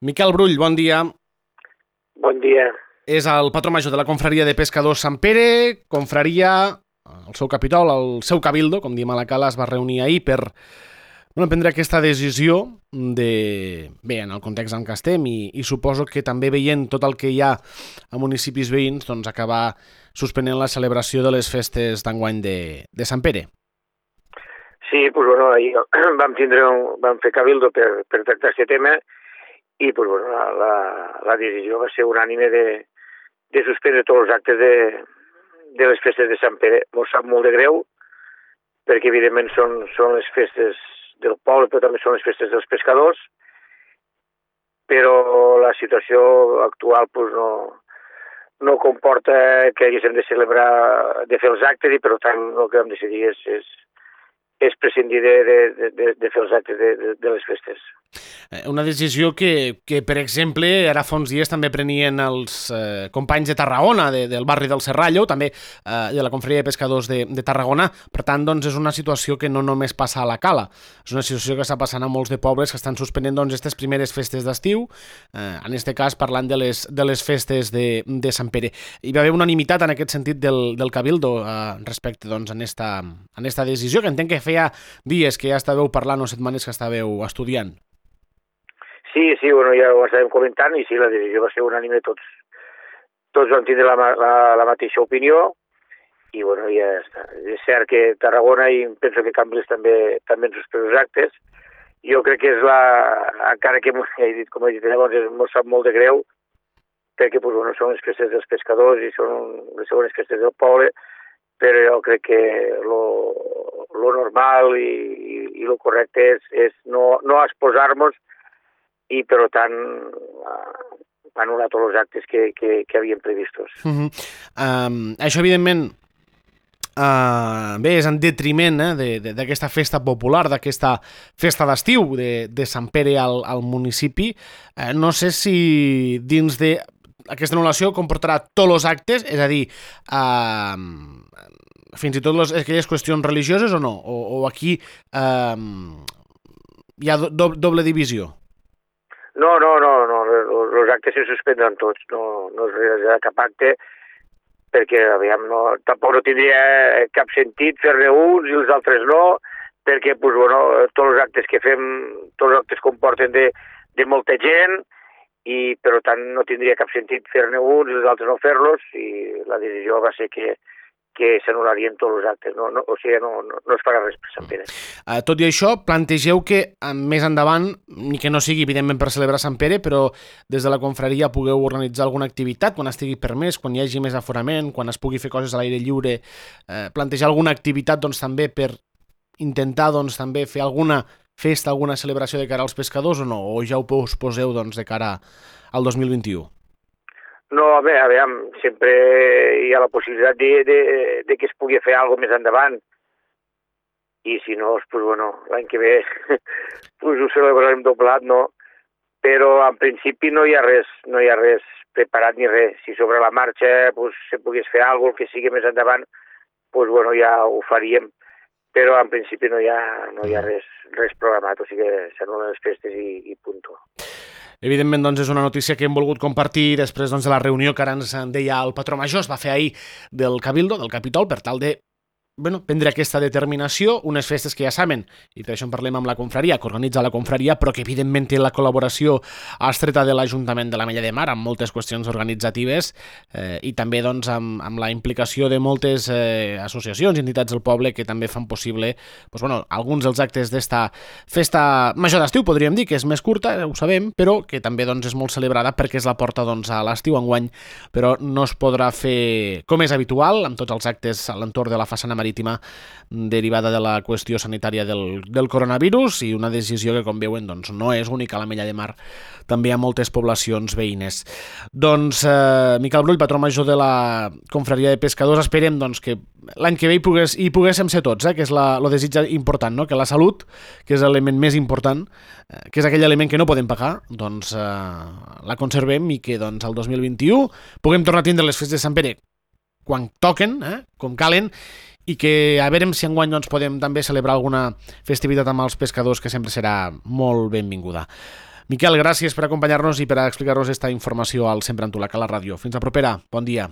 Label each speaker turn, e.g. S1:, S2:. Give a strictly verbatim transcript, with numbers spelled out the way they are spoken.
S1: Miquel Brull, bon dia.
S2: Bon dia.
S1: És el patró major de la confraria de pescadors Sant Pere, confraria, el seu capítol, el seu cabildo, com diem a la Cala, es va reunir ahir per bueno, prendre aquesta decisió de, bé, en el context en què estem i, i suposo que també veient tot el que hi ha a municipis veïns, doncs acabar suspenent la celebració de les festes d'enguany de, de Sant Pere.
S2: Sí, doncs, bueno, ahir vam, tindre un, vam fer cabildo per, per tractar aquest tema i doncs, bueno, la, la, la decisió va ser unànime de, de suspendre tots els actes de, de les festes de Sant Pere. Ens sap molt de greu, perquè evidentment són, són les festes del poble, però també són les festes dels pescadors, però la situació actual doncs, no, no comporta que haguéssim de celebrar, de fer els actes, i per tant el que vam decidir és, és, és prescindir de, de, de, de fer els actes de, de, de les festes.
S1: Una decisió que, que, per exemple, ara fa uns dies també prenien els eh, companys de Tarragona, de, del barri del Serrallo, també eh, de la confraria de pescadors de, de Tarragona. Per tant, doncs, és una situació que no només passa a la Cala, és una situació que està passant a molts de pobles que estan suspenent doncs, aquestes primeres festes d'estiu, eh, en aquest cas parlant de les, de les festes de, de Sant Pere. Hi va haver unanimitat en aquest sentit del, del Cabildo eh, respecte doncs, en, esta, en esta decisió, que entenc que feia dies que ja estàveu parlant o setmanes que estàveu estudiant.
S2: Sí, sí, bueno, ja ho estàvem comentant i sí, la decisió va ser unànime, tots, tots vam tindre la, la, la mateixa opinió i bueno, ja està. És cert que Tarragona i penso que Cambrils també, també han suspès els actes. Jo crec que és la, encara que he dit, com he dit llavors, ens sap molt de greu, perquè pues, bueno, són les festes dels pescadors i són les segones festes del poble, però jo crec que lo, lo normal i, i, i lo correcte és, és no, no exposar-nos i, per tant, anul·lar tots els actes que, que, que havien previstos.
S1: Uh -huh. um, això, evidentment, uh, bé, és en detriment eh, d'aquesta festa popular, d'aquesta festa d'estiu de, de Sant Pere al, al municipi. Uh, no sé si dins de aquesta anul·lació comportarà tots els actes, és a dir, uh, fins i tot les, aquelles qüestions religioses o no? O, o aquí uh, hi ha do, doble divisió?
S2: No, no, no, no, els actes se suspendran tots, no, no es realitzarà cap acte, perquè, aviam, no, tampoc no tindria cap sentit fer-ne uns i els altres no, perquè, pues, bueno, tots els actes que fem, tots els actes comporten de, de molta gent, i, per tant, no tindria cap sentit fer-ne uns i els altres no fer-los, i la decisió va ser que que s'anul·larien tots els actes, no, no, o sigui, no, no, no es farà res per Sant Pere.
S1: Uh, tot i això, plantegeu que uh, més endavant, ni que no sigui evidentment per celebrar Sant Pere, però des de la confraria pugueu organitzar alguna activitat, quan estigui permès, quan hi hagi més aforament, quan es pugui fer coses a l'aire lliure, uh, plantejar alguna activitat doncs, també per intentar doncs, també fer alguna festa, alguna celebració de cara als pescadors o no? O ja ho posposeu doncs, de cara al dos mil vint-i-u?
S2: No, a veure, a veure, sempre hi ha la possibilitat de, de, de que es pugui fer alguna més endavant. I si no, pues, bueno, l'any que ve pues, ho celebrarem doblat, no? Però en principi no hi ha res, no hi ha res preparat ni res. Si sobre la marxa pues, se pogués fer alguna cosa que sigui més endavant, pues, bueno, ja ho faríem. Però en principi no hi ha, no hi ha res, res programat, o sigui que s'anul·len les festes i, i punto.
S1: Evidentment, doncs, és una notícia que hem volgut compartir després doncs, de la reunió que ara ens deia el patró major, es va fer ahir del Cabildo, del Capitol, per tal de bueno, prendre aquesta determinació, unes festes que ja saben, i per això en parlem amb la confraria, que organitza la confraria, però que evidentment té la col·laboració estreta de l'Ajuntament de l'Ametlla de Mar amb moltes qüestions organitzatives eh, i també doncs, amb, amb la implicació de moltes eh, associacions i entitats del poble que també fan possible doncs, bueno, alguns dels actes d'esta festa major d'estiu, podríem dir, que és més curta, ho sabem, però que també doncs, és molt celebrada perquè és la porta doncs, a l'estiu enguany, però no es podrà fer com és habitual, amb tots els actes a l'entorn de la façana marítima derivada de la qüestió sanitària del, del coronavirus i una decisió que, com veuen, doncs, no és única a l'Ametlla de Mar, també a moltes poblacions veïnes. Doncs, eh, Miquel Brull, patró major de la confraria de pescadors, esperem doncs, que l'any que ve hi, pogués, hi poguéssim ser tots, eh, que és la, lo desig important, no? Que la salut, que és l'element més important, eh, que és aquell element que no podem pagar, doncs eh, la conservem i que doncs, el dos mil vint-i-u puguem tornar a tindre les festes de Sant Pere quan toquen, eh, com calen, i que a veure si enguany doncs, podem també celebrar alguna festivitat amb els pescadors, que sempre serà molt benvinguda. Miquel, gràcies per acompanyar-nos i per explicar-nos aquesta informació al Sempre amb tu, la Cala Ràdio. Fins a propera. Bon dia.